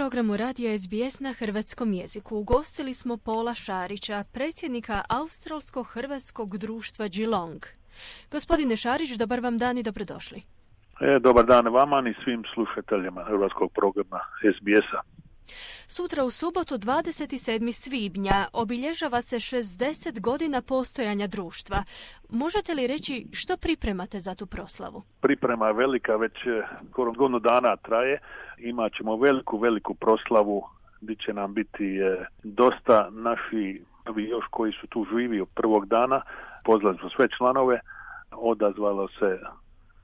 programu radija SBS na hrvatskom jeziku. Ugostili smo Paula Šarića, predsjednika Australsko-hrvatskog društva Geelong. Gospodine Šarić, dobar vam dan i dobrodošli. Dobar dan vama i svim slušateljima hrvatskog programa SBS-a. Sutra u subotu 27. svibnja obilježava se 60 godina postojanja društva. Možete li reći što pripremate za tu proslavu? Priprema je velika, već skoro godinu dana traje. Imat ćemo veliku proslavu gdje će nam biti dosta naši još koji su tu živi od prvog dana. Pozvali smo sve članove, odazvalo se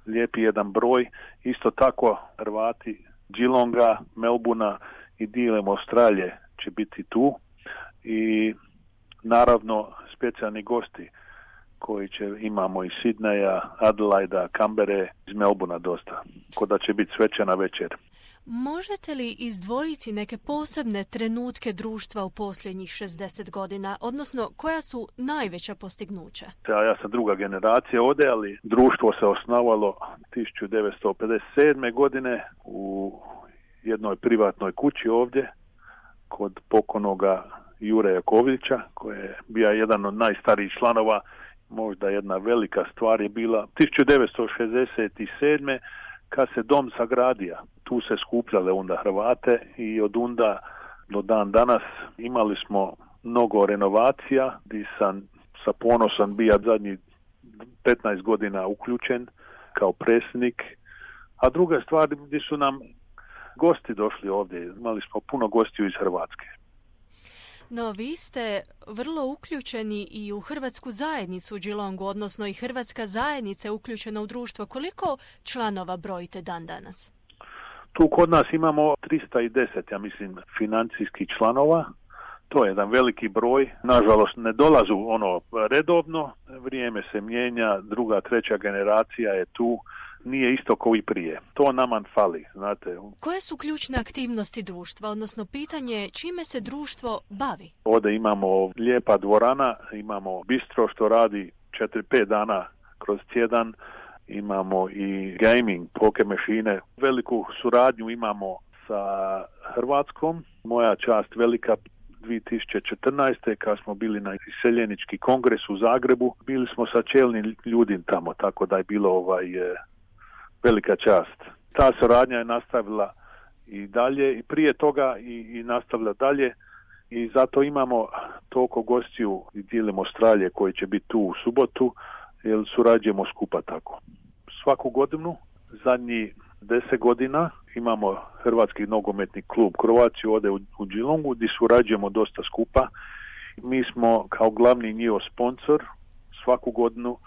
lijepi jedan broj. Isto tako Hrvati Geelonga, Melbournea i dilem Australije će biti tu i naravno specijalni gosti koji imamo iz Sidneja, Adelaida, Kambere, iz Melbournea dosta, kod da će biti svečana večer. Možete li izdvojiti neke posebne trenutke društva u posljednjih 60 godina, odnosno koja su najveća postignuća? Ja sam druga generacija ovdje, ali društvo se osnovalo 1957. godine u jednoj privatnoj kući ovdje kod pokojnoga Jure Jakovljića, koji je bio jedan od najstarijih članova. Možda jedna velika stvar je bila 1967. kad se dom sagradio. Tu se skupljale onda Hrvate i od onda do dan danas imali smo mnogo renovacija gdje sam sa ponosom bio zadnjih 15 godina uključen kao predsjednik. A druga stvar gdje su nam gosti došli ovdje. Imali smo puno gostiju iz Hrvatske. No, vi ste vrlo uključeni i u hrvatsku zajednicu u Geelongu, odnosno i hrvatska zajednica je uključena u društvo. Koliko članova brojite dan danas? Tu kod nas imamo 310, ja mislim, financijskih članova. To je jedan veliki broj. Nažalost, ne dolazu redovno. Vrijeme se mijenja, druga, treća generacija je tu. Nije isto kao i prije. To nama fali, znate. Koje su ključne aktivnosti društva, odnosno pitanje čime se društvo bavi? Ovdje imamo lijepa dvorana, imamo bistro što radi 4-5 dana kroz tjedan, imamo i gaming, poker mašine. Veliku suradnju imamo sa Hrvatskom. Moja čast velika 2014. kad smo bili na iseljenički kongres u Zagrebu, bili smo sa čelnim ljudima tamo, tako da je bilo velika čast. Ta suradnja je nastavila i dalje i prije toga i nastavila dalje i zato imamo toliko gostiju i dijelimo Australije koji će biti tu u subotu jer surađujemo skupa tako. Svaku godinu, zadnjih 10 godina, imamo Hrvatski nogometni klub Croatia ovdje u Geelongu gdje surađujemo dosta skupa. Mi smo kao glavni njihov sponsor svaku godinu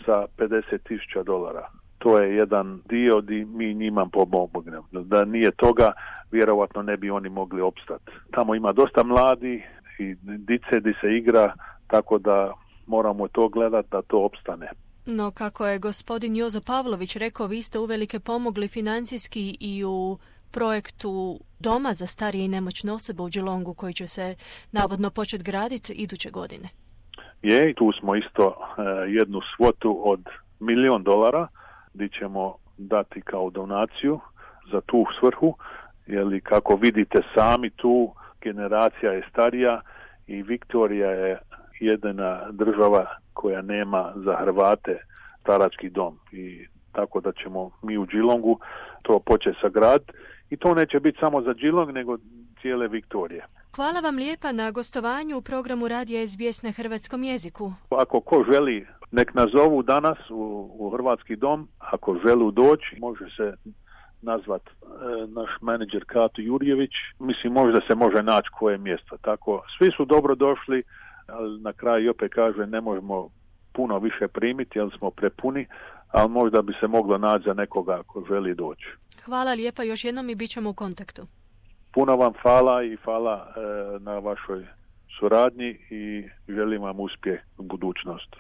sa $50,000. To je jedan dio gdje mi njima pomognemo. Da nije toga, vjerovatno ne bi oni mogli opstati. Tamo ima dosta mladi i dice gdje se igra, tako da moramo to gledati da to opstane. No, kako je gospodin Jozo Pavlović rekao, vi ste uvelike pomogli financijski i u projektu Doma za starije i nemoćne osobe u Geelongu koji će se navodno početi graditi iduće godine. Je, tu smo isto jednu svotu od $1,000,000 gdje ćemo dati kao donaciju za tu svrhu, jer kako vidite sami tu generacija je starija i Viktorija je jedina država koja nema za Hrvate starački dom i tako da ćemo mi u Geelongu to početi sagraditi i to neće biti samo za Geelong nego cijele Viktorije. Hvala vam lijepa na gostovanju u programu radija SBS na hrvatskom jeziku. Ako ko želi, nek nazovu danas u Hrvatski dom. Ako želi doći, može se nazvat naš menadžer Kato Jurjević. Mislim, možda se može naći koje mjesto. Tako, svi su dobro došli, ali na kraju opet kaže ne možemo puno više primiti, jer smo prepuni, ali možda bi se moglo naći za nekoga ako želi doći. Hvala lijepa još jednom i bit ćemo u kontaktu. Puno vam hvala i hvala na vašoj suradnji i želim vam uspjeh u budućnosti.